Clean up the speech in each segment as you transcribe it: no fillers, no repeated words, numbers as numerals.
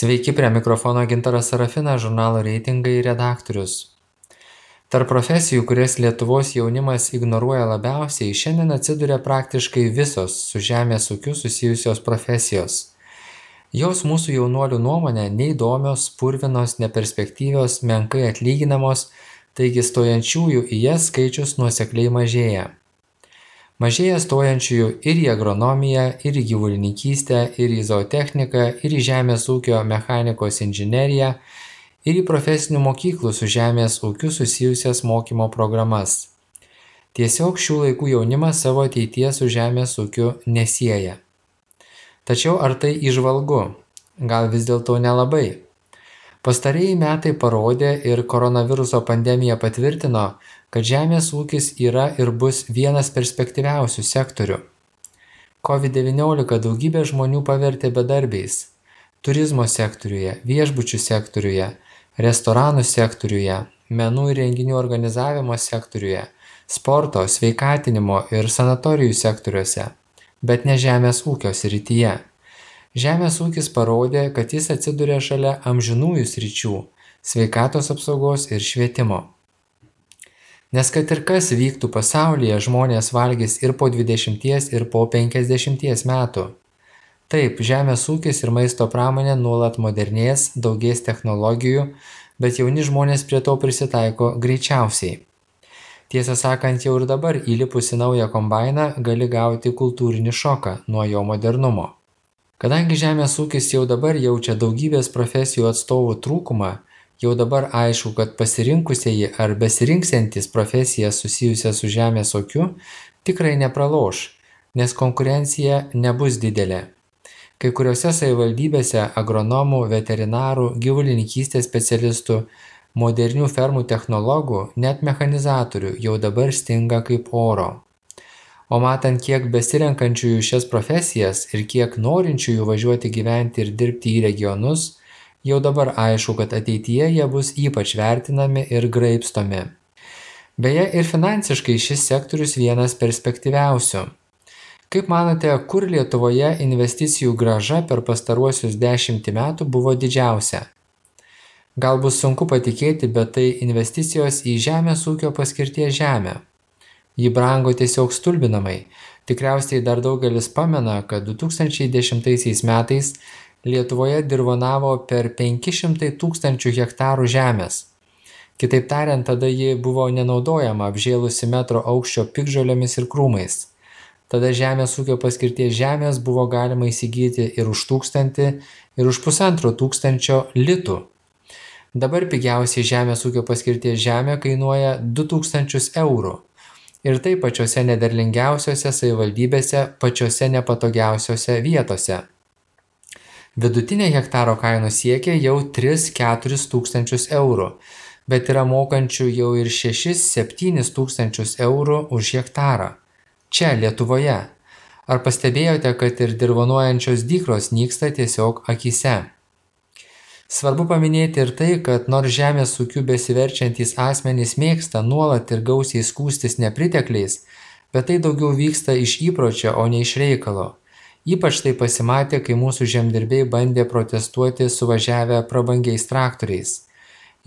Sveiki, prie mikrofono Gintaras Sarafinas, žurnalo reitingai redaktorius. Tarp profesijų, kurias Lietuvos jaunimas ignoruoja labiausiai, šiandien atsiduria praktiškai visos su žemės ūkiu susijusios profesijos. Jos mūsų jaunuolių nuomonė neįdomios, purvinos, neperspektyvios, menkai atlyginamos, taigi stojančiųjų į jas skaičius nuosekliai mažėja. Mažėja stojančiųjų ir į agronomiją, ir į gyvulininkystę, ir į zootechniką, ir į žemės ūkio mechanikos inžineriją, ir į profesinių mokyklų su žemės ūkiu susijusias mokymo programas. Tiesiog šių laikų jaunimas savo ateities su žemės ūkiu nesieja. Tačiau ar tai įžvalgu? Gal vis dėlto nelabai? Pastarieji metai parodė ir koronaviruso pandemija patvirtino, kad žemės ūkis yra ir bus vienas perspektyviausių sektorių. COVID-19 daugybė žmonių pavertė bedarbiais. Turizmo sektoriuje, viešbučių sektoriuje, restoranų sektoriuje, menų ir renginių organizavimo sektoriuje, sporto, sveikatinimo ir sanatorijų sektoriuose, bet ne žemės ūkio srityje. Žemės ūkis parodė, kad jis atsiduria šalia amžinųjų sričių – sveikatos apsaugos ir švietimo. Nes kad ir kas vyktų pasaulyje, žmonės valgys ir po 20 ir po 50 metų. Taip, žemės ūkis ir maisto pramonė nuolat modernės, daugės technologijų, bet jauni žmonės prie to prisitaiko greičiausiai. Tiesą sakant, jau ir dabar įlipus į naują kombainą gali gauti kultūrinį šoką nuo jo modernumo. Kadangi žemės ūkis jau dabar jaučia daugybės profesijų atstovų trūkumą, jau dabar aišku, kad pasirinkusieji ar besirinksiantys profesijas susijusias su žemės ūkiu tikrai nepraloš, nes konkurencija nebus didelė. Kai kuriuose savivaldybėse agronomų, veterinarų, gyvulininkystės specialistų, modernių fermų technologų, net mechanizatorių jau dabar stinga kaip oro. O matant, kiek besirenkančiųjų šias profesijas ir kiek norinčiųjų važiuoti gyventi ir dirbti į regionus, jau dabar aišku, kad ateityje jie bus ypač vertinami ir graibstomi. Beje, ir finansiškai šis sektorius vienas perspektyviausių. Kaip manote, kur Lietuvoje investicijų grąža per pastaruosius 10 metų buvo didžiausia? Gal bus sunku patikėti, bet tai investicijos į žemės ūkio paskirties žemę. Ji brango tiesiog stulbinamai. Tikriausiai dar daugelis pamena, kad 2010 metais Lietuvoje dirvonavo per 500 000 hektarų žemės. Kitaip tariant, tada ji buvo nenaudojama, apžėlusi metro aukščio piktžolėmis ir krūmais. Tada žemės ūkio paskirties žemės buvo galima įsigyti ir už 1000 ir už 1500 litų. Dabar pigiausiai žemės ūkio paskirties žemė kainuoja 2000 eurų. Ir tai pačiose nederlingiausiose savivaldybėse, pačiose nepatogiausiose vietose. Vidutinė hektaro kaina siekia jau 3-4 tūkstančius eurų, bet yra mokančių jau ir 6-7 tūkstančius eurų už hektarą. Čia, Lietuvoje. Ar pastebėjote, kad ir dirvonuojančios dykros nyksta tiesiog akyse? Svarbu paminėti ir tai, kad nors žemės ūkiu besiverčiantys asmenys mėgsta nuolat ir gausiai skųstis nepritekliais, bet tai daugiau vyksta iš įpročio, o ne iš reikalo. Ypač tai pasimatė, kai mūsų žemdirbiai bandė protestuoti suvažiavę prabangiais traktoriais.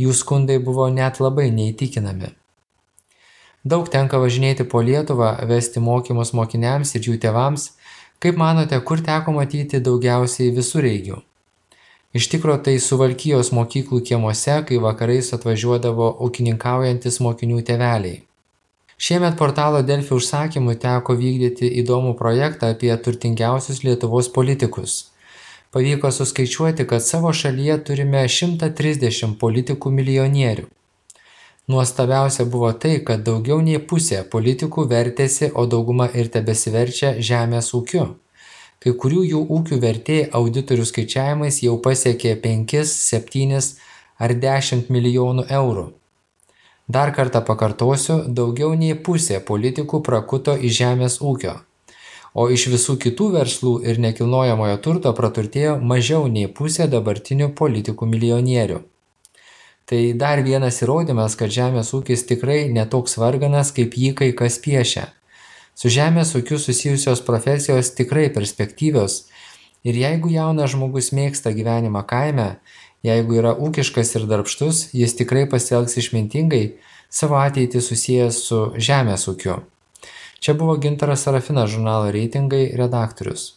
Jų skundai buvo net labai neįtikinami. Daug tenka važinėti po Lietuvą, vesti mokymus mokiniams ir jų tėvams. Kaip manote, kur teko matyti daugiausiai visureigių? Iš tikro tai Suvalkijos mokyklų kiemuose, kai vakarais atvažiuodavo ūkininkaujantis mokinių tėveliai. Šiemet portalo Delfi užsakymu teko vykdyti įdomų projektą apie turtingiausius Lietuvos politikus. Pavyko suskaičiuoti, kad savo šalyje turime 130 politikų milijonierių. Nuostabiausia buvo tai, kad daugiau nei pusė politikų vertėsi, o dauguma ir tebesiverčia žemės ūkiu. Kai kurių jų ūkių vertė auditorių skaičiavimais jau pasiekė 5, 7 ar 10 milijonų eurų. Dar kartą pakartosiu, daugiau nei pusė politikų prakuto iš žemės ūkio, o iš visų kitų verslų ir nekilnojamojo turto praturtėjo mažiau nei pusė dabartinių politikų milijonierių. Tai dar vienas įrodymas, kad žemės ūkis tikrai netoks varganas, kaip jį kai kas piešia. Su žemės ūkiu susijusios profesijos tikrai perspektyvios Ir jeigu jaunas žmogus mėgsta gyvenimą kaime, jeigu yra ūkiškas ir darbštus, jis tikrai pasielgs išmintingai, savo ateitį susijęs su žemės ūkiu. Čia buvo Gintaras Sarafinas, žurnalo Reitingai redaktorius.